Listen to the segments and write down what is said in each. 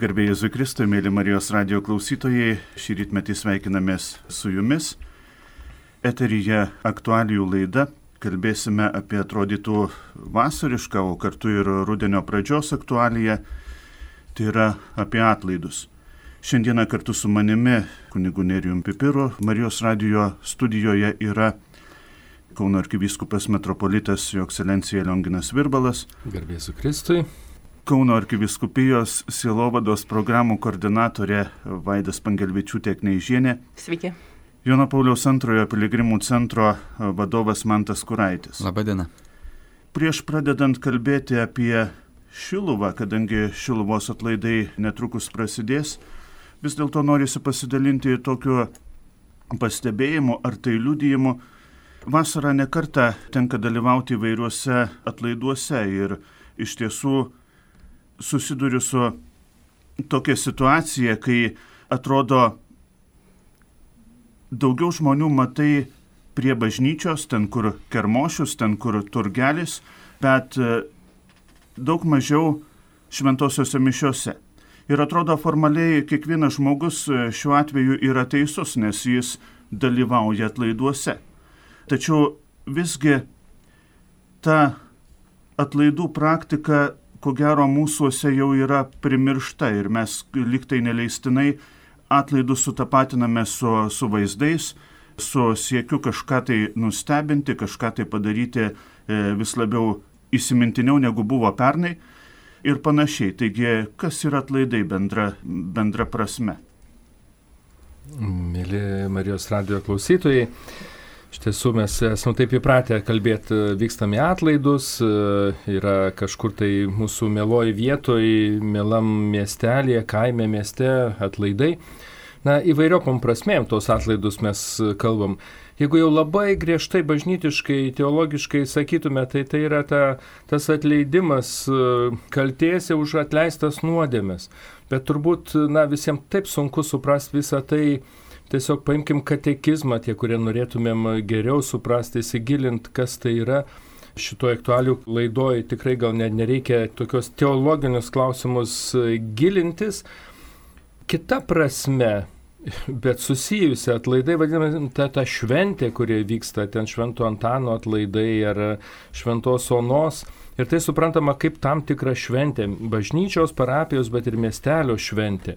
Garbė Jėzui Kristui, mėly Marijos radijo klausytojai, šį rytmetį sveikinamės su jumis. Eteryje aktualijų laida. Kalbėsime apie atrodytų vasarišką, o kartu ir rudenio pradžios aktualiją. Tai yra apie atlaidus. Šiandieną kartu su manimi, kunigu Nerijumi Pipiru, Marijos radijo studijoje yra Kauno arkivyskupas metropolitas Jo Ekscelencija Lionginas Virbalas. Garbė Jėzui Kristui. Kauno arkivyskupijos sielovados programų koordinatorė Vaida Spangelvičiūtė-Kneižienė. Sveiki. Jono Pauliaus II piligrimų centro vadovas Mantas Kuraitis. Labadiena. Prieš pradedant kalbėti apie Šiluvą, kadangi Šiluvos atlaidai netrukus prasidės, vis dėlto norisi pasidalinti tokiu pastebėjimu ar tai liudijimu. Vasarą nekartą tenka dalyvauti įvairiuose atlaiduose ir iš tiesų susiduriu su tokia situacija, kai atrodo daugiau žmonių matai prie bažnyčios, ten kur kermošius, ten kur turgelis, bet daug mažiau šventosiuose mišiuose. Ir atrodo formaliai kiekvienas žmogus šiuo atveju yra teisus, nes jis dalyvauja atlaiduose. Tačiau visgi ta atlaidų praktika, ko gero, mūsuose jau yra primiršta ir mes lygtai neleistinai atlaidus sutapatiname su vaizdais, su siekiu kažką tai nustebinti, kažką tai padaryti vis labiau įsimintiniau negu buvo pernai ir panašiai. Taigi, kas yra atlaidai bendra prasme? Mėly Marijos radijo klausytojai, iš tiesų mes esame taip įpratę kalbėti, vykstam į atlaidus, yra kažkur tai mūsų mieloj vietoj, mielam miestelėje, kaime mieste atlaidai. Na, įvairiopom prasmėm tos atlaidus mes kalbam. Jeigu jau labai griežtai bažnytiškai, teologiškai sakytume, tai yra tas atleidimas kaltėse už atleistas nuodėmes. Bet turbūt visiems taip sunku suprasti visą tai. Tiesiog paimkim katekizmą, tie, kurie norėtumėm geriau suprasti, įsigilint, kas tai yra. Šitoje aktualių laidoje tikrai gal nereikia tokios teologinius klausimus gilintis. Kita prasme, bet susijusi atlaidai, vadiname, ta šventė, kurie vyksta, ten Švento Antano atlaidai ar Šventos Onos. Ir tai suprantama kaip tam tikra šventė, bažnyčios, parapijos, bet ir miestelio šventė.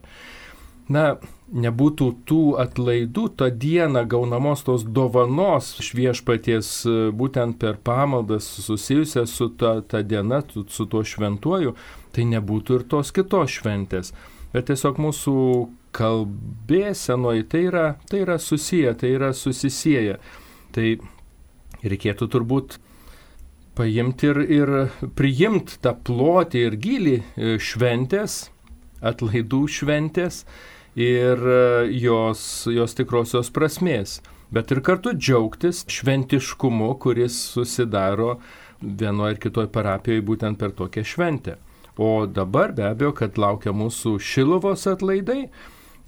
Na, nebūtų tų atlaidų, tą dieną gaunamos tos dovanos iš Viešpaties būtent per pamaldas susijusią su ta diena, su tuo šventuoju, tai nebūtų ir tos kitos šventės. Bet tiesiog mūsų kalbėsenoje tai yra susiję, tai yra susisieję. Tai reikėtų turbūt paimti ir priimti tą plotį ir gylį šventės, atlaidų šventės, ir jos tikrosios prasmės, bet ir kartu džiaugtis šventiškumu, kuris susidaro vienoje ar kitoje parapijoje būtent per tokią šventę. O dabar be abejo, kad laukia mūsų Šiluvos atlaidai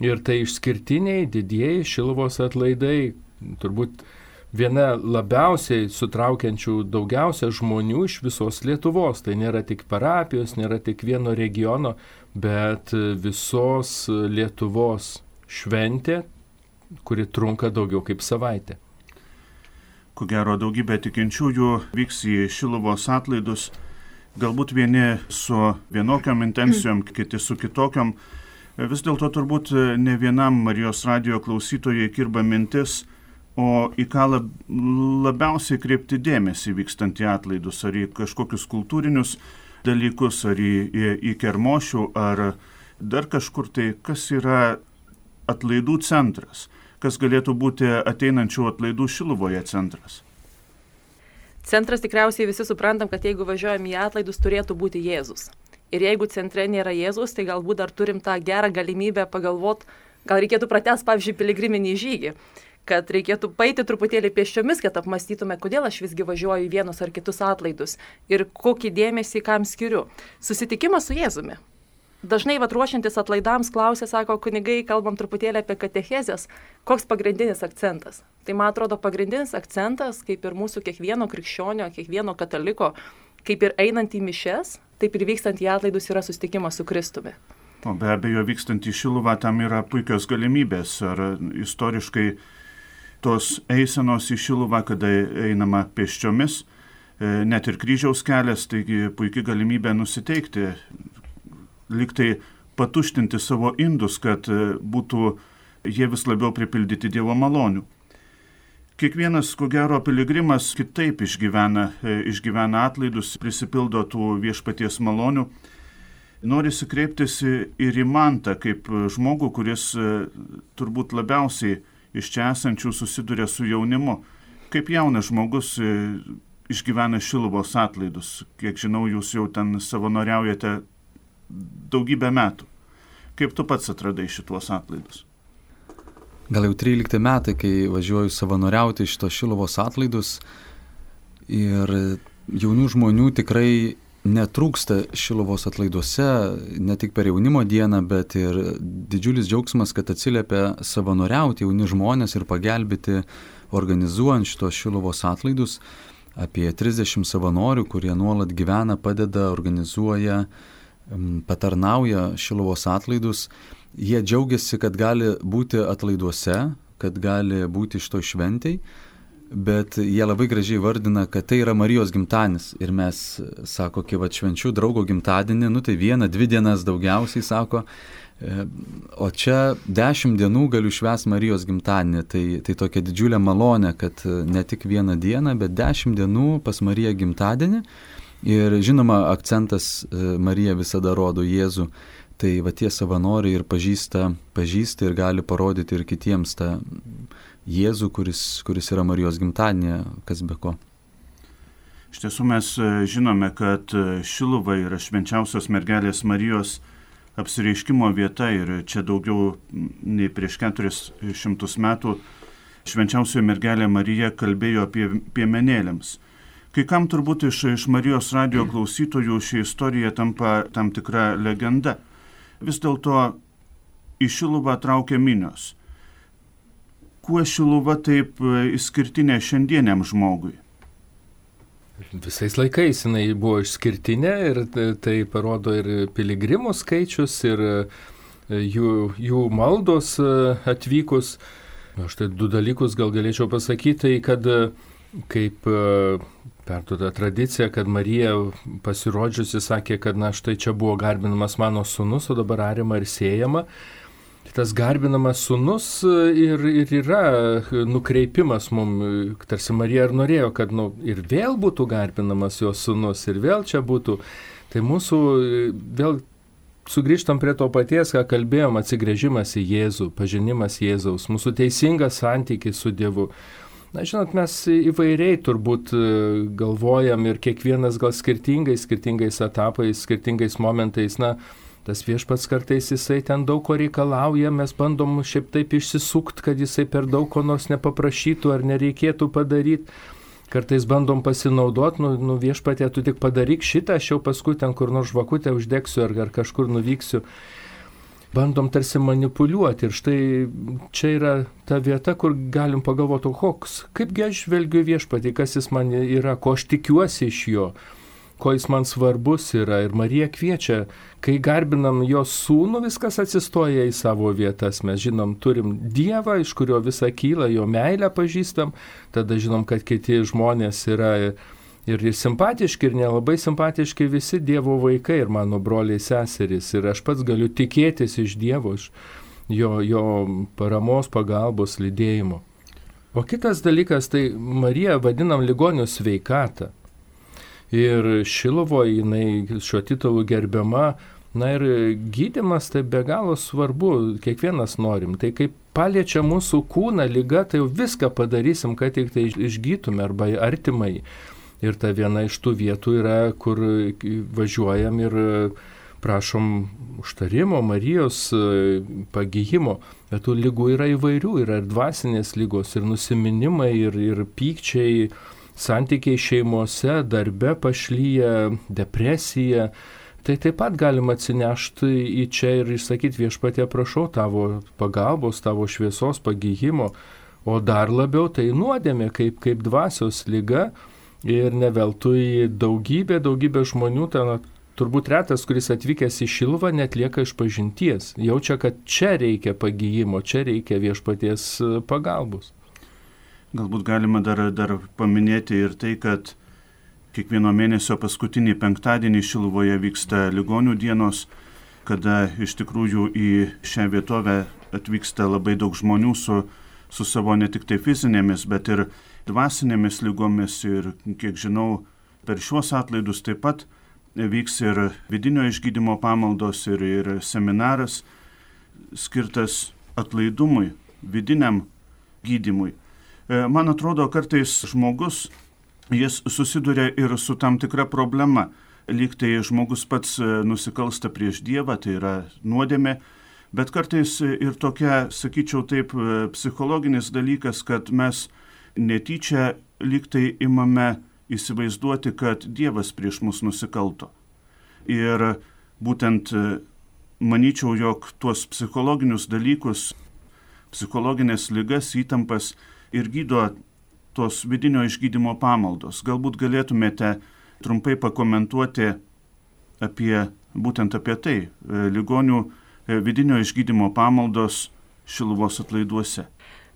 ir tai išskirtiniai, didieji Šiluvos atlaidai, turbūt viena labiausiai sutraukiančių daugiausia žmonių iš visos Lietuvos. Tai nėra tik parapijos, nėra tik vieno regiono, bet visos Lietuvos šventė, kuri trunka daugiau kaip savaitę. Ko gero, daugybė tikinčiųjų vyks į Šiluvos atlaidus, galbūt vieni su vienokiom intencijom, kiti su kitokiom. Vis dėlto turbūt ne vienam Marijos radijo klausytojai kirba mintis, o į ką labiausiai kreipti dėmesį vykstant į atlaidus, ar į kažkokius kultūrinius dalykus, ar į kermošių, ar dar kažkur tai, kas yra atlaidų centras, kas galėtų būti ateinančių atlaidų Šiluvoje centras. Centras tikriausiai visi suprantam, kad jeigu važiuojam į atlaidus, turėtų būti Jėzus. Ir jeigu centre nėra Jėzus, tai galbūt dar turim tą gerą galimybę pagalvoti, gal reikėtų pratęsti, pavyzdžiui, piligriminį žygį, kad reikėtų paeiti truputėlį pėsčiomis, kad apmąstytume, kodėl aš visgi važiuoju į vienus ar kitus atlaidus ir kokį dėmesį kam skiriu. Susitikimas su Jėzumi. Dažnai ruošiantis atlaidams klausia, sako kunigai, kalbam truputėlį apie katechezės, koks pagrindinis akcentas. Tai man atrodo pagrindinis akcentas, kaip ir mūsų kiekvieno krikščionio, kiekvieno kataliko, kaip ir einant į mišes, taip ir vykstant į atlaidus yra susitikimas su Kristumi. O be abejo, vykstant į Šiluvą tam yra puikios galimybės. Ar istoriškai tos eisenos į Šiluvą, kada einama pėsčiomis, net ir kryžiaus kelias, taigi puikia galimybė nusiteikti, liktai patuštinti savo indus, kad būtų jie vis labiau pripildyti Dievo malonių. Kiekvienas, ko gero, piligrimas kitaip išgyvena atlaidus, prisipildo tų viešpaties malonių. Norisi kreiptis ir į Mantą, kaip žmogų, kuris turbūt labiausiai iš čia esančių susiduria su jaunimu. Kaip jaunas žmogus išgyvena Šiluvos atlaidus. Kiek žinau, jūs jau ten savanoriaujate daugybę metų. Kaip tu pats atradai šituos atlaidus? Gal jau 13 metai, kai važiuoju savanoriauti šitos Šiluvos atlaidus ir jaunų žmonių tikrai netrūksta Šiluvos atlaiduose, ne tik per jaunimo dieną, bet ir didžiulis džiaugsmas, kad atsiliepia savanoriauti jauni žmonės ir pagelbėti organizuojant šitos Šiluvos atlaidus. Apie 30 savanorių, kurie nuolat gyvena, padeda, organizuoja, patarnauja Šiluvos atlaidus. Jie džiaugiasi, kad gali būti atlaiduose, kad gali būti šitoj šventėj, bet jie labai gražiai vardina, kad tai yra Marijos gimtadienis. Ir mes, sako, kai švenčiu draugo gimtadienį, tai 1-2 dienas daugiausiai, sako, o čia 10 dienų galiu švęsti Marijos gimtadienį. Tai tokia didžiulė malonė, kad ne tik 1 dieną, bet 10 dienų pas Mariją gimtadienį. Ir žinoma, akcentas Marija visada rodo Jėzų. Tai va tie savanoriai ir pažįsta ir gali parodyti ir kitiems tą Jėzų, kuris yra Marijos gimtadienė, kas be ko. Iš tiesų mes žinome, kad Šiluva yra švenčiausios mergelės Marijos apsireiškimo vieta ir čia daugiau nei prieš 400 metų švenčiausioji mergelė Marija kalbėjo apie piemenėliams. Kai kam turbūt iš Marijos radijo klausytojų ši istorija tampa tam tikra legenda. Vis dėlto į Šiluvą traukia minios. Kuo Šiluva taip išskirtinė šiandieniam žmogui? Visais laikais jinai buvo išskirtinė ir tai parodo ir piligrimų skaičius, ir jų maldos atvykus. Aš tai 2 dalykus gal galėčiau pasakyti, tai kad kaip perduoda tradicija, kad Marija pasirodžiusi sakė, kad štai čia buvo garbinamas mano sūnus, o dabar ariama ir siejama. Tas garbinamas sūnus ir yra nukreipimas mums, tarsi Marija ir norėjo, kad ir vėl būtų garbinamas jos sūnus, ir vėl čia būtų. Tai mūsų vėl sugrįžtam prie to paties, ką kalbėjom, atsigręžimas į Jėzų, pažinimas Jėzaus, mūsų teisingas santykis su Dievu. Žinot, mes įvairiai turbūt galvojam ir kiekvienas gal skirtingais etapais, skirtingais momentais. Tas viešpats kartais jisai ten daug ko reikalauja, mes bandom šiaip taip išsisukt, kad jisai per daug ko nors nepaprašytų ar nereikėtų padaryti. Kartais bandom pasinaudoti, viešpatie, tu tik padaryk šitą, aš jau paskui ten kur nors žvakutę uždegsiu ar kažkur nuvyksiu. Bandom tarsi manipuliuoti ir štai čia yra ta vieta, kur galim pagalvoti, kaipgi aš žvelgiu viešpatį, kas jis man yra, ko aš tikiuosi iš jo, ko jis man svarbus yra. Ir Marija kviečia, kai garbinam jos sūnų, viskas atsistoja į savo vietas. Mes žinom, turim Dievą, iš kurio visa kyla, jo meilę pažįstam, tada žinom, kad kiti žmonės yra ir simpatiški, ir nelabai simpatiški visi Dievo vaikai, ir mano broliai seserys. Ir aš pats galiu tikėtis iš Dievo, iš jo paramos, pagalbos, lydėjimo. O kitas dalykas, tai Marija vadinam ligonių sveikatą. Ir Šiluvoje jinai šiuo titulu gerbiama. Ir gydymas tai be galo svarbu, kiekvienas norim. Tai kaip paliečia mūsų kūną liga, tai jau viską padarysim, kad tik tai išgytume arba artimai. Ir ta viena iš tų vietų yra, kur važiuojam ir prašom užtarimo, Marijos pagyjimo. Bet tų lygų yra įvairių, yra ir dvasinės lygos, ir nusiminimai, ir pykčiai, santykiai šeimose, darbe pašlyja, depresija. Tai taip pat galima atsinešti į čia ir išsakyti viešpatie, prašau tavo pagalbos, tavo šviesos, pagyjimo. O dar labiau tai nuodėmė kaip dvasios lyga. Ir ne veltui daugybė žmonių ten turbūt retas, kuris atvykęs į Šiluvą, netlieka išpažinties. Jaučia, kad čia reikia pagijimo, čia reikia viešpaties pagalbos. Galbūt galima dar paminėti ir tai, kad kiekvieno mėnesio paskutinį penktadienį Šiluvoje vyksta ligonių dienos, kada iš tikrųjų į šią vietovę atvyksta labai daug žmonių su savo ne tik tai fizinėmis, bet ir dvasinėmis lygomis. Ir kiek žinau, per šiuos atlaidus taip pat vyks ir vidinio išgydymo pamaldos, ir seminaras skirtas atlaidumui, vidiniam gydymui. Man atrodo, kartais žmogus, jis susiduria ir su tam tikra problema. Lyg tai žmogus pats nusikalsta prieš Dievą, tai yra nuodėmė, bet kartais ir tokia, sakyčiau taip, psichologinis dalykas, kad mes netyčia lyg tai imame įsivaizduoti, kad Dievas prieš mus nusikalto. Ir būtent manyčiau, jog tuos psichologinius dalykus, psichologinės ligas, įtampas ir gydo tos vidinio išgydymo pamaldos. Galbūt galėtumėte trumpai pakomentuoti būtent apie tai, ligonių vidinio išgydymo pamaldos Šiluvos atlaiduose.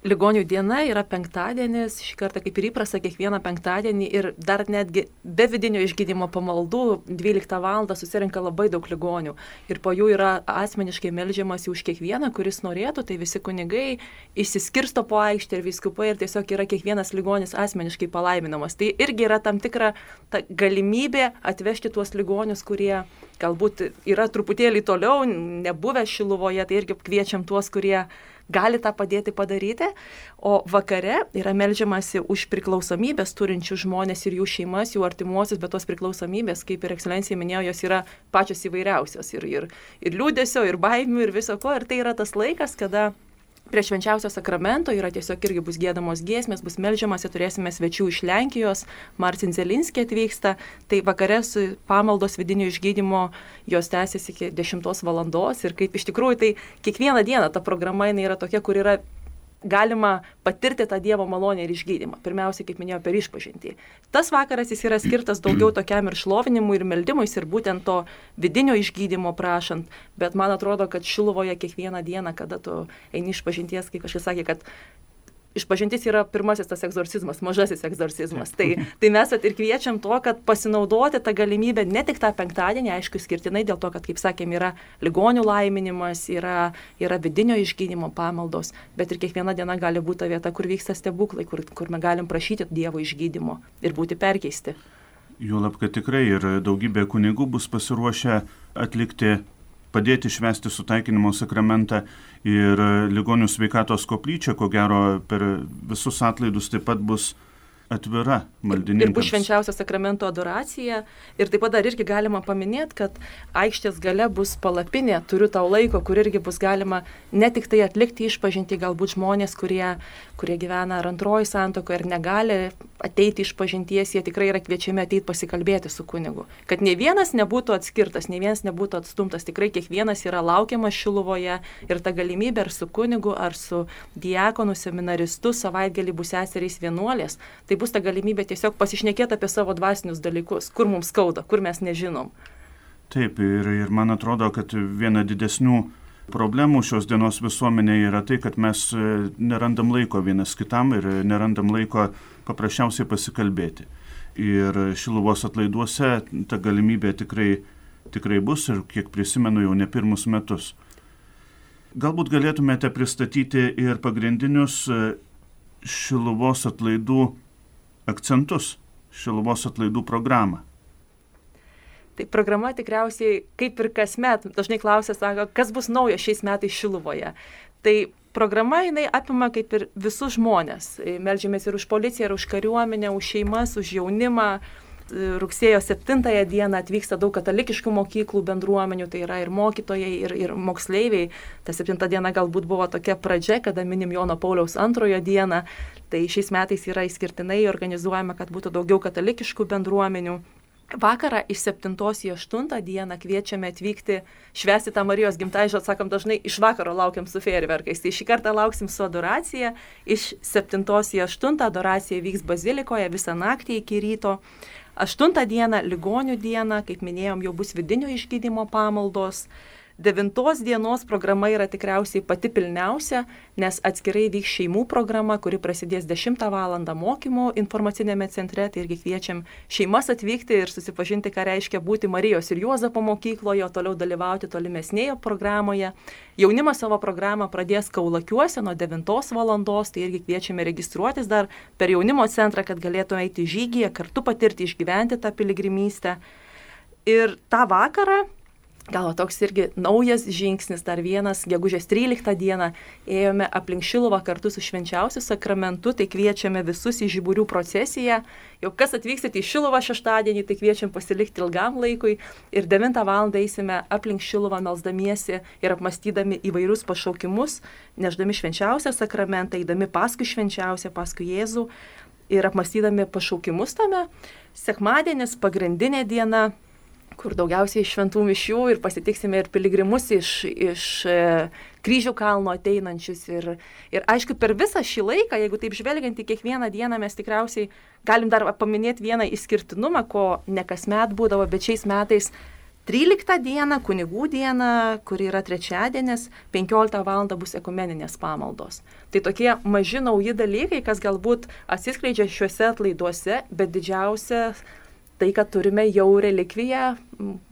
Ligonių diena yra penktadienis, šį kartą kaip ir įprasta kiekvieną penktadienį ir dar netgi be vidinio išgydymo pamaldų 12 val. Susirenka labai daug ligonių ir po jų yra asmeniškai meldžiamasi už kiekvieną, kuris norėtų, tai visi kunigai išsiskirsto po aikštę ir vyskupai ir tiesiog yra kiekvienas ligonis asmeniškai palaiminamas. Tai irgi yra tam tikra galimybė atvežti tuos ligonius, kurie galbūt yra truputėlį toliau, nebuvę Šiluvoje, tai irgi kviečiam tuos, kurie gali tą padėti padaryti, o vakare yra meldžiamasi už priklausomybės turinčių žmonės ir jų šeimas, jų artimuosius, bet tos priklausomybės, kaip ir ekscelencija minėjo, jos yra pačios įvairiausios ir liūdesio, ir baimių, ir viso ko, ir tai yra tas laikas, kada prie švenčiausio sakramento yra tiesiog irgi bus giedamos giesmės, bus meldžiamasi, turėsime svečių iš Lenkijos, Marcin Zelinski atvyksta, tai vakare su pamaldos vidinio išgydymo jos tęsiasi iki 10 val. Ir kaip iš tikrųjų tai kiekvieną dieną ta programa yra tokia, kur yra galima patirti tą Dievo malonę ir išgydymą. Pirmiausia, kaip minėjau, per išpažintį. Tas vakaras jis yra skirtas daugiau tokiam ir šlovinimui, ir meldimuisi, ir būtent to vidinio išgydymo prašant. Bet man atrodo, kad Šiluvoje kiekvieną dieną, kada tu eini išpažinties, kaip kažkas sakė, kad išpažintis yra pirmasis tas egzorcizmas, mažasis egzorcizmas. Tai mes ir kviečiam to, kad pasinaudoti tą galimybę ne tik tą penktadienį, aišku, skirtinai dėl to, kad, kaip sakėm, yra ligonių laiminimas, yra vidinio išgydymo pamaldos, bet ir kiekviena diena gali būti ta vieta, kur vyksta stebuklai, kur mes galim prašyti Dievo išgydymo ir būti perkeisti. Juolab, kad tikrai ir daugybė kunigų bus pasiruošę padėti švęsti sutaikinimo sakramentą ir ligonių sveikatos koplyčia, ko gero, per visus atlaidus taip pat bus atvira maldininkams. Ir bus švenčiausio sakramento adoracija. Ir taip pat dar irgi galima paminėti, kad aikštės gale bus palapinė, turiu tau laiko, kur irgi bus galima ne tik tai atlikti išpažinti, galbūt žmonės, kurie gyvena ar antroji santuokoje ir negali ateiti išpažinties, jie tikrai yra kviečiami ateiti pasikalbėti su kunigu. Kad nei vienas nebūtų atskirtas, nei vienas nebūtų atstumtas, tikrai kiekvienas yra laukiamas Šiluvoje ir ta galimybė ar su kunigu, ar su diakonu, seminaristu, savaitgalį bus seserys vienuolės. Tai bus ta galimybė tiesiog pasišnekėti apie savo dvasinius dalykus, kur mums skauda, kur mes nežinom. Taip, ir man atrodo, kad viena didesnių problemų šios dienos visuomenėje yra tai, kad mes nerandam laiko vienas kitam ir nerandam laiko paprasčiausiai pasikalbėti. Ir Šiluvos atlaiduose ta galimybė tikrai bus ir kiek prisimenu jau ne pirmus metus. Galbūt galėtumėte pristatyti ir pagrindinius Šiluvos atlaidų akcentus, Šiluvos atlaidų programą. Tai programa tikriausiai, kaip ir kasmet, dažnai klausia, sako, kas bus naujo šiais metais Šiluvoje. Tai programa jinai apima kaip ir visus žmonės. Meldžiamės ir už policiją, ir už kariuomenę, už šeimas, už jaunimą. Rugsėjo 7 dieną atvyksta daug katalikiškų mokyklų bendruomenių, tai yra ir mokytojai, ir moksleiviai. Ta 7 diena galbūt buvo tokia pradžia, kada minim Jono Pauliaus 2 dieną. Tai šiais metais yra išskirtinai organizuojama, kad būtų daugiau katalikiškų bendruomenių. vakarą iš 7 į 8 dieną kviečiame atvykti švęsti tą Marijos gimtadienį, sakom, dažnai iš vakaro laukiam su fejerverkais. Tai šį kartą lauksim su adoracija. Iš 7 į 8 adoracija vyks bazilikoje visą naktį iki ryto. 8 dieną, ligonių dieną, kaip minėjom, jau bus vidinio išgydymo pamaldos. 9 dienos programa yra tikriausiai pati pilniausia, nes atskirai vyks šeimų programa, kuri prasidės 10 val. Mokymų informacinėme centre. Tai irgi kviečiam šeimas atvykti ir susipažinti, ką reiškia būti Marijos ir Juozapo mokykloje, o toliau dalyvauti tolimesnėje programoje. Jaunimas savo programą pradės Kaulakiuose nuo 9 val. Tai irgi kviečiame registruotis dar per jaunimo centrą, kad galėtų eiti žygyje, kartu patirti, išgyventi tą piligrimystę. Ir tą vakarą, gal toks irgi naujas žingsnis, dar vienas, gegužės 13 dieną ėjome aplink Šiluvą kartu su švenčiausiu sakramentu, tai kviečiame visus į žiburių procesiją. Jau kas atvyksit į Šiluvą šeštadienį, tai kviečiam pasilikti ilgam laikui ir 9 val. Eisime aplink Šiluvą melsdamiesi ir apmastydami įvairius pašaukimus, neždami švenčiausią sakramentą, eidami paskui švenčiausią, paskui Jėzų ir apmastydami pašaukimus tame. Sekmadienis, pagrindinė diena, kur daugiausiai šventų mišių ir pasitiksime ir piligrimus iš Kryžių kalno ateinančius. Ir aišku, per visą šį laiką, jeigu taip žvelgiant į kiekvieną dieną, mes tikriausiai galim dar paminėti vieną išskirtinumą, ko ne kasmet būdavo, bet šiais metais 13 dieną, kunigų diena, kuri yra trečiadienis, 15 val. Bus ekumeninės pamaldos. Tai tokie maži nauji dalykai, kas galbūt atsiskleidžia šiuose atlaiduose, bet didžiausia tai, kad turime jau relikviją,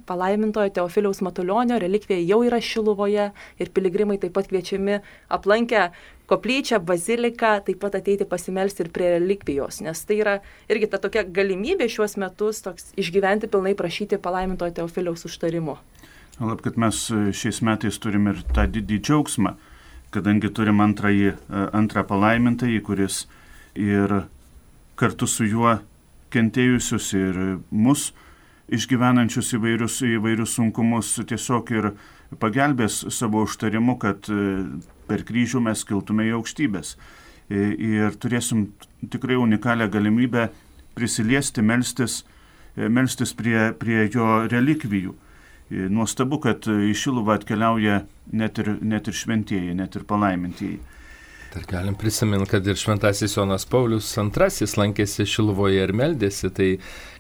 palaimintojo Teofiliaus Matulionio relikvija jau yra Šiluvoje ir piligrimai taip pat kviečiami aplankę koplyčią, baziliką, taip pat ateiti pasimelsti ir prie relikvijos, nes tai yra irgi ta tokia galimybė šiuos metus toks išgyventi pilnai, prašyti palaimintojo Teofiliaus užtarimo. Lab, kad mes šiais metais turim ir tą didį džiaugsmą, kadangi turim antrą palaimintąjį, kuris ir kartu su juo kentėjusius ir mus išgyvenančius įvairius sunkumus tiesiog ir pagelbės savo užtarimu, kad per kryžių mes kiltume į aukštybės. Ir turėsim tikrai unikalią galimybę prisiliesti, melstis prie jo relikvijų. Nuostabu, kad į Šiluvą atkeliauja net ir šventieji, net ir palaimintieji. Dar galim prisiminti, kad ir šventasis Jonas Paulius II lankėsi Šiluvoje ir meldėsi, tai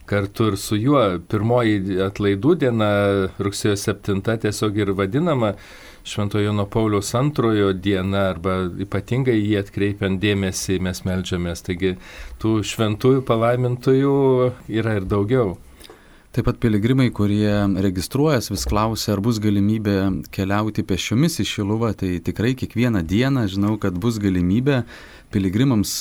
kartu ir su juo pirmoji atlaidų diena, rugsėjo 7, tiesiog ir vadinama Šventojo Jono Pauliaus II diena, arba ypatingai jį atkreipiant dėmesį mes meldžiamės. Taigi tų šventųjų palaimintųjų yra ir daugiau. Taip pat piligrimai, kurie registruojas, vis klausia, ar bus galimybė keliauti pėsčiomis į Šiluvą. Tai tikrai kiekvieną dieną žinau, kad bus galimybė piligrimams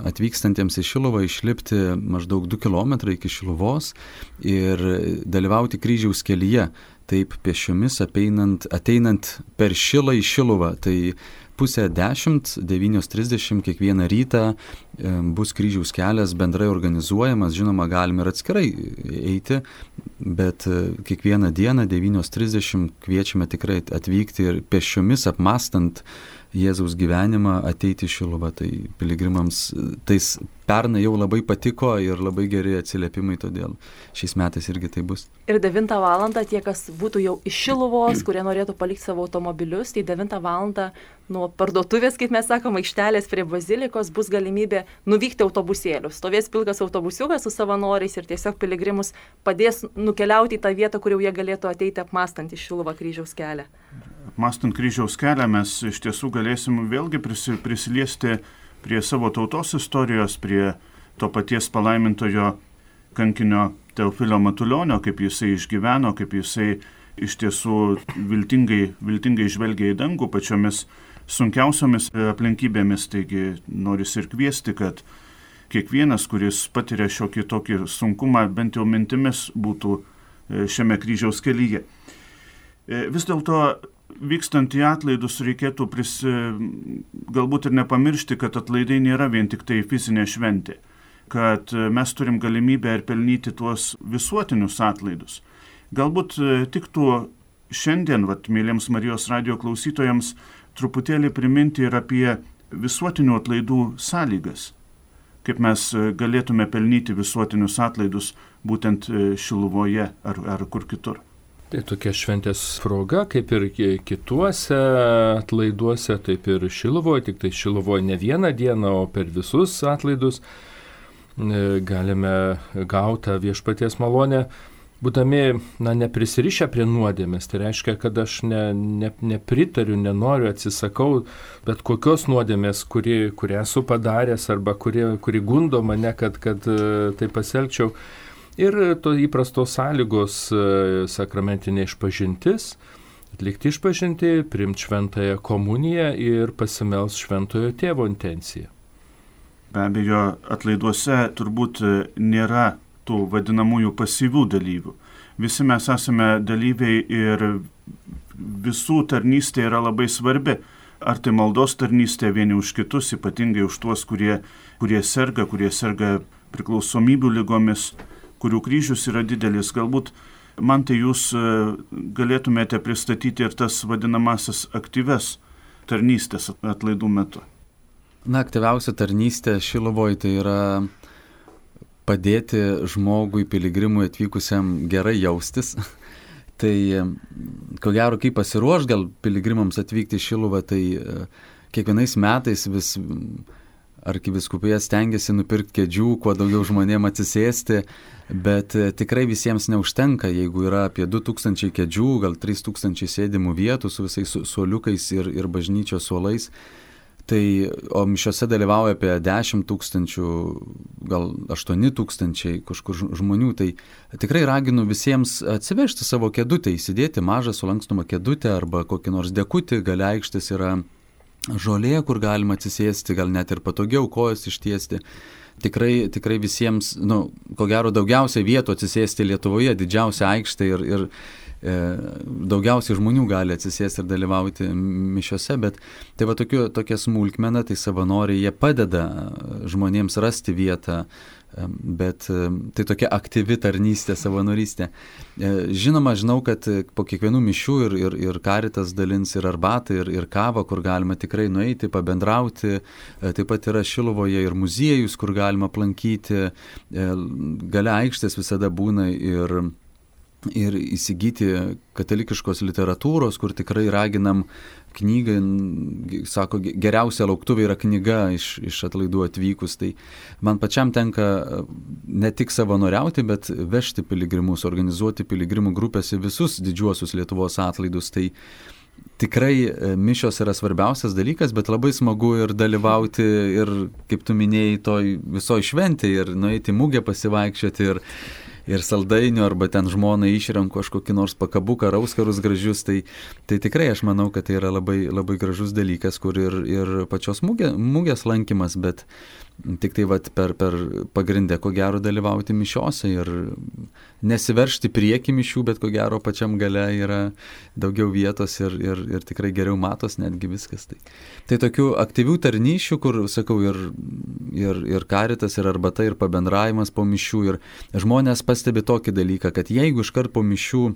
atvykstantiems į Šiluvą išlipti maždaug 2 km iki Šiluvos ir dalyvauti kryžiaus kelyje. Taip pėsčiomis ateinant per Šilą į Šiluvą. Tai 9:30, 9:30 kiekvieną rytą bus kryžiaus kelias bendrai organizuojamas, žinoma, galime ir atskirai eiti, bet kiekvieną dieną 9:30 kviečiame tikrai atvykti ir pėsčiomis apmastant Jėzaus gyvenimą ateiti į Šiluvą. Tai piligrimams tais pernai jau labai patiko ir labai geri atsiliepimai, todėl šiais metais irgi tai bus. Ir 9 val. Tie, kas būtų jau iš Šiluvos, kurie norėtų palikti savo automobilius, tai 9 val. Nuo parduotuvės, kaip mes sakom, aikštelės prie bazilikos bus galimybė nuvykti autobusėlius. Stovės pilkas autobusiukas su savanoriais ir tiesiog piligrimus padės nukeliauti į tą vietą, kur jau jie galėtų ateiti apmastant į Šiluvą kryžiaus kelią. Apmastant kryžiaus kelią mes iš tiesų galėsim vėlgi prisiliesti prie savo tautos istorijos, prie to paties palaimintojo kankinio Teofilio Matulionio, kaip jisai išgyveno, kaip jisai iš tiesų viltingai žvelgia į dangų pačiomis sunkiausiomis aplinkybėmis. Taigi noris ir kviesti, kad kiekvienas, kuris patiria šiokį tokį sunkumą, bent jau mintimis būtų šiame kryžiaus kelyje. Vis dėlto vykstant į atlaidus reikėtų galbūt ir nepamiršti, kad atlaidai nėra vien tik tai fizinė šventė, kad mes turim galimybę ir pelnyti tuos visuotinius atlaidus. Galbūt tiktų šiandien, mėlyms Marijos radijo klausytojams, truputėlį priminti ir apie visuotinių atlaidų sąlygas, kaip mes galėtume pelnyti visuotinius atlaidus būtent Šiluvoje ar kur kitur. Tai tokia šventės proga, kaip ir kituose atlaiduose, taip ir Šiluvoje, tik tai Šiluvoje ne vieną dieną, o per visus atlaidus galime gauti viešpaties malonę, būdami neprisirišę prie nuodėmės. Tai reiškia, kad aš nepritariu, nenoriu, atsisakau bet kokios nuodėmės, kurią esu padaręs arba kuri gundo mane, kad tai pasielgčiau. Ir to įprastos sąlygos sakramentinė išpažintis, atlikti išpažinti, priimti šventąją komuniją ir pasimels šventojo tėvo intenciją. Be abejo, atlaiduose turbūt nėra tų vadinamųjų pasyvių dalyvių. Visi mes esame dalyviai ir visų tarnystė yra labai svarbi. Ar tai maldos tarnystė vieni už kitus, ypatingai už tuos, kurie serga priklausomybių ligomis, kurių kryžius yra didelis. Galbūt man tai jūs galėtumėte pristatyti ir tas vadinamasis aktyves tarnystės atlaidų metu. Aktyviausia tarnystė Šiluvoje tai yra padėti žmogui, piligrimui atvykusiam gerai jaustis. Tai ko gero, kaip pasiruoš gal piligrimams atvykti į Šiluvą, tai kiekvienais metais vis arkivyskupija stengiasi nupirkti kėdžių, kuo daugiau žmonėm atsisėsti, bet tikrai visiems neužtenka, jeigu yra apie 2000 kėdžių, gal 3000 sėdimų vietų su visais suoliukais ir bažnyčios suolais. O mišiose dalyvauja apie 10 000, gal 8 000 kažkur žmonių. Tai tikrai raginu visiems atsivežti savo kėdutę, įsidėti mažą sulankstomą kėdutę arba kokį nors dekutį, gale aikštės yra žolė, kur galima atsisėsti, gal net ir patogiau kojas ištiesti. Tikrai visiems, ko gero daugiausiai vietų atsisėsti Lietuvoje, didžiausia aikštė ir daugiausiai žmonių gali atsisėsti ir dalyvauti mišiose, bet tai va tokia smulkmena, tai savanoriai, jie padeda žmonėms rasti vietą, bet tai tokia aktyvi tarnystė, savanorystė. Žinoma, žinau, kad po kiekvienų mišių ir Karitas dalins ir arbatą, ir kavą, kur galima tikrai nueiti, pabendrauti. Taip pat yra Šiluvoje ir muziejus, kur galima aplankyti. Gale aikštės visada būna ir įsigyti katalikiškos literatūros, kur tikrai raginam knygą, sako, geriausia lauktuvė yra knyga iš atlaidų atvykus. Tai man pačiam tenka ne tik savanoriauti, bet vežti piligrimus, organizuoti piligrimų grupės į visus didžiuosius Lietuvos atlaidus. Tai tikrai mišios yra svarbiausias dalykas, bet labai smagu ir dalyvauti ir, kaip tu minėjai, toj visoj šventėje ir nueiti mugę pasivaikščioti ir saldainių, arba ten žmona išrenku kažkokį nors pakabuką, auskarus gražius, tai tikrai aš manau, kad tai yra labai, labai gražus dalykas, kur ir pačios mugės lankymas, bet tik tai per pagrindę, ko gero, dalyvauti mišiose ir nesiveršti prieki mišių, bet ko gero pačiam gale yra daugiau vietos ir tikrai geriau matos netgi viskas. Tai tokių aktyvių tarnysčių, kur, sakau, ir Karitas, ir arbata, ir pabendravimas po mišių, ir žmonės pastebi tokį dalyką, kad jeigu iškart po mišių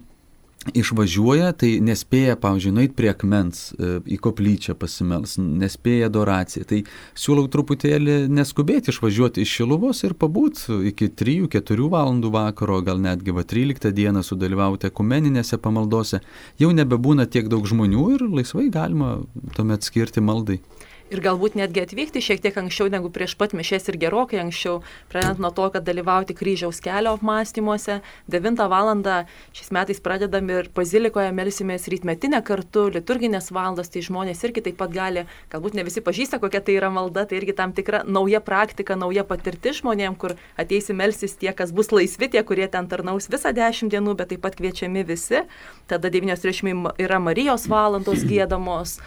išvažiuoja, tai nespėja, pavyzdžiui, nueiti prie akmens, į koplyčią pasimels, nespėja adoraciją. Tai siūlau truputėlį neskubėti išvažiuoti iš Šiluvos ir pabūti iki 3-4 valandų vakaro, gal netgi 13 dieną sudalyvauti ekumeninėse pamaldose. Jau nebebūna tiek daug žmonių ir laisvai galima tuomet skirti maldai. Ir galbūt netgi atvykti šiek tiek anksčiau negu prieš pat mišias ir gerokai anksčiau, pradedant nuo to, kad dalyvauti kryžiaus kelio apmąstymuose. 9 valandą šiais metais pradedam ir bazilikoje melsimės rytmetinę kartu, liturginės valandos, tai žmonės irgi taip pat gali, galbūt ne visi pažįsta, kokia tai yra malda, tai irgi tam tikra nauja praktika, nauja patirtis žmonėm, kur ateisi melsis tie, kas bus laisvi, tie, kurie ten tarnaus visą 10 dienų, bet taip pat kviečiami visi. Tada 9:30 yra Marijos valandos giedamos,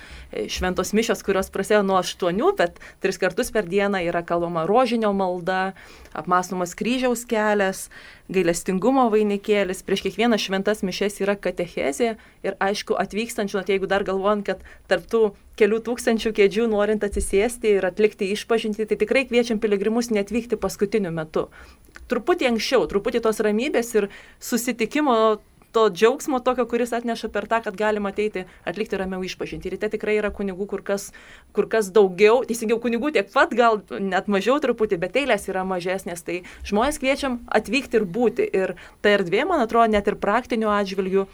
šventos mišios, kurios prasidėjo nuo 8, bet 3 kartus per dieną yra kalbama rožinio malda, apmąstomas kryžiaus kelias, gailestingumo vainikėlis, prieš kiekvieną šventas mišias yra katechezė ir aišku atvykstančių, jeigu dar galvojant, kad tarptų kelių tūkstančių kėdžių norint atsisėsti ir atlikti išpažintį, tai tikrai kviečiam piligrimus neatvykti paskutiniu metu. Truputį anksčiau, truputį tos ramybės ir susitikimo to džiaugsmo tokio, kuris atneša per tą, kad galima ateiti atlikti ramiau išpažinti. Ryte tikrai yra kunigų kur kas daugiau, teisingiau kunigų tiek pat, gal net mažiau truputį, bet eilės yra mažesnės. Tai žmonės kviečiam atvykti ir būti. Ir ta erdvė, man atrodo, net ir praktiniu atžvilgiu,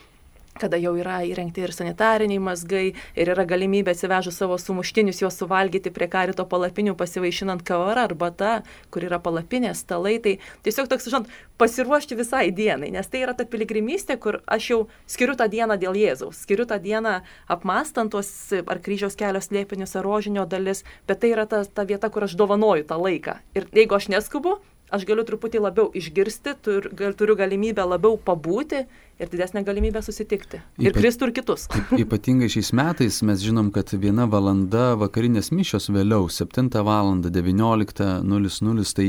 kada jau yra įrengti ir sanitariniai mazgai, ir yra galimybė atsivežus savo sumuštinius juos suvalgyti prie karito palapinių, pasivaišinant kavara arba ta, kur yra palapinės, stalai, tai tiesiog toks, žinot, pasiruošti visai dienai, nes tai yra ta piligrimystė, kur aš jau skiriu tą dieną dėl Jėzaus, skiriu tą dieną apmastant tuos ar kryžiaus kelio slėpinius, ar rožinio dalis, bet tai yra ta vieta, kur aš dovanoju tą laiką. Ir jeigu aš neskubu, aš galiu truputį labiau išgirsti, turiu galimybę labiau pabūti ir didesnę galimybę susitikti. Ir Kristų ir kitus. Ypatingai šiais metais mes žinom, kad 1 valanda vakarinės mišios vėliau, 7 valandą, 19:00, tai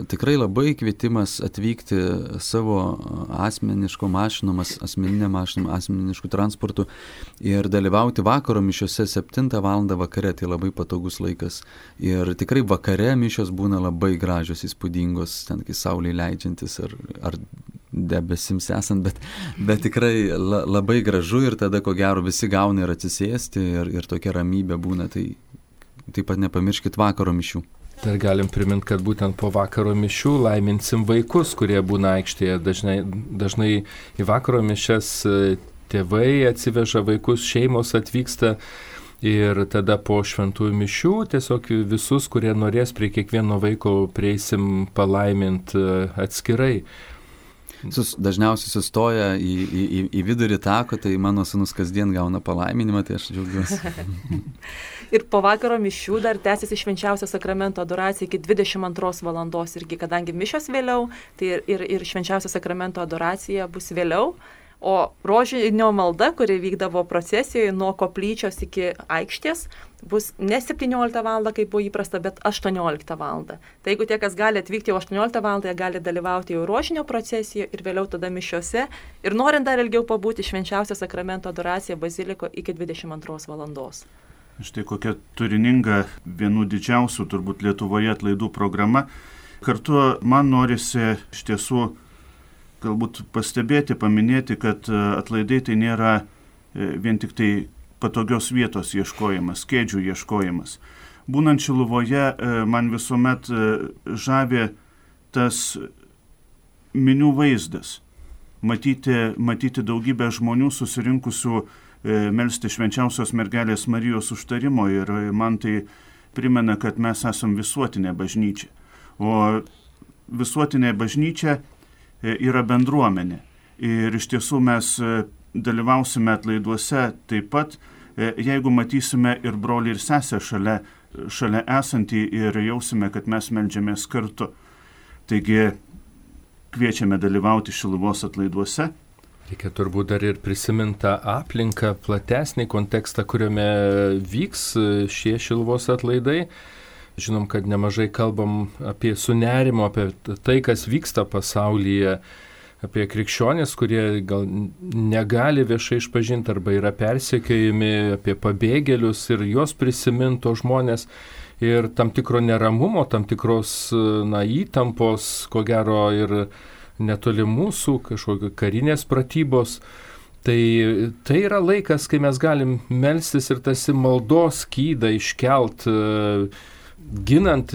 tikrai labai kvietimas atvykti savo asmeniško mašinom, asmeninė mašinom, asmeniškų transportų ir dalyvauti vakaro mišiose 7 valandą vakare, tai labai patogus laikas. Ir tikrai vakare mišios būna labai gražios, įspūdingos, ten kai saulė leidžiantis ar debesims esant, bet tikrai labai gražu ir tada ko gero visi gauna ir atsisėsti ir tokia ramybė būna, tai taip pat nepamirškit vakaro mišių. Dar galim priminti, kad būtent po vakaro mišių laiminsim vaikus, kurie būna aikštėje. Dažnai į vakaro mišias tėvai atsiveža vaikus, šeimos atvyksta ir tada po šventųjų mišių tiesiog visus, kurie norės prie kiekvieno vaiko prieisim palaiminti atskirai. Dažniausiai sustoja į vidurį tako, tai mano sūnus kasdien gauna palaiminimą, tai aš džiaugiuosi. Ir po vakaro mišių dar tęsiasi švenčiausio sakramento adoracija iki 22 valandos irgi, kadangi mišios vėliau, tai ir švenčiausio sakramento adoracija bus vėliau. O rožinio malda, kuri vykdavo procesijoje nuo koplyčios iki aikštės, bus ne 17 val. Kaip buvo įprasta, bet 18 val. Tai jeigu tie, kas gali atvykti jau 18 val., jie gali dalyvauti jau rožinio procesijoje ir vėliau tada mišiose. Ir norint dar ilgiau pabūti, švenčiausio sakramento adoracija baziliko iki 22 val. Štai kokia turininga, vienų didžiausių turbūt Lietuvoje atlaidų programa. Kartu man norisi iš tiesų galbūt pastebėti, paminėti, kad atlaidai tai nėra vien tik tai patogios vietos ieškojimas, kėdžių ieškojimas. Būnant Šiluvoje, man visuomet žavi tas minių vaizdas. Matyti daugybę žmonių susirinkusių melsti švenčiausios mergelės Marijos užtarimo ir man tai primena, kad mes esam visuotinė bažnyčia. O visuotinė bažnyčia yra bendruomenė. Ir iš tiesų mes dalyvausime atlaiduose taip pat, jeigu matysime ir brolį ir sesę šalia esantį ir jausime, kad mes meldžiamės kartu. Taigi kviečiame dalyvauti Šiluvos atlaiduose. Reikia turbūt dar ir prisiminti tą aplinką, platesnį kontekstą, kuriame vyks šie Šiluvos atlaidai. Žinom, kad nemažai kalbam apie sunerimo, apie tai, kas vyksta pasaulyje, apie krikščionis, kurie gal negali viešai išpažinti arba yra persekiojami, apie pabėgėlius ir juos prisiminto žmonės ir tam tikro neramumo, tam tikros įtampos, ko gero ir netoli mūsų, kažkokio karinės pratybos. Tai yra laikas, kai mes galim melstis ir tarsi maldos skydą iškelt, ginant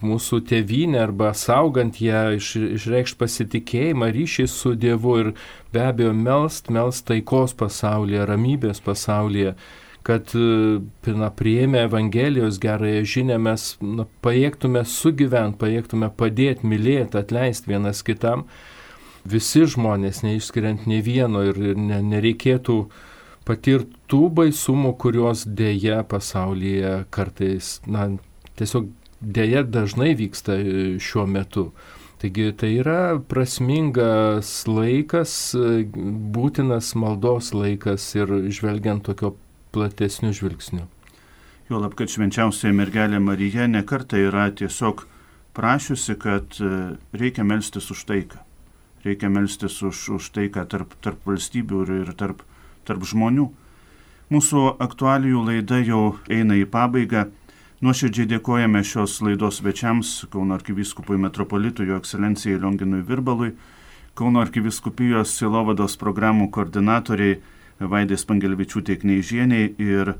mūsų tėvynę arba saugant ją, išreikšti pasitikėjimą, ryšį su Dievu ir be abejo melst taikos pasaulyje, ramybės pasaulyje, kad priėmę Evangelijos gerąją žinią mes pajėgtume sugyventi, pajėgtume padėti, mylėti, atleisti vienas kitam. Visi žmonės, neišskiriant nei vieno ir nereikėtų patirti tų baisumų, kurios dėja pasaulyje kartais, tiesiog dėja dažnai vyksta šiuo metu. Taigi tai yra prasmingas laikas, būtinas maldos laikas ir žvelgiant tokio platesnių žvilgsnių. Juolab, kad švenčiausioji mergelė Marija nekartą yra tiesiog prašiusi, kad reikia melstis už taiką. Reikia melstis už taiką tarp valstybių ir tarp žmonių. Mūsų aktualijų laida jau eina į pabaigą. Nuoširdžiai dėkojame šios laidos svečiams, Kauno arkivyskupui metropolitui, jo ekscelencijai Lionginui Virbalui, Kauno arkivyskupijos sielovados programų koordinatoriai Vaidai Spangelvičiūtei Kneižieniai ir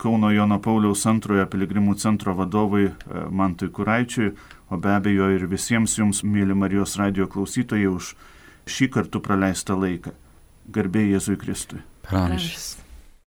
Kauno Jono Pauliaus II piligrimų centro vadovui Mantui Kuraičiui, o be abejo ir visiems jums, mėly Marijos radijo klausytojai, už šį kartu praleistą laiką. Garbė Jėzui Kristui. Per amžius.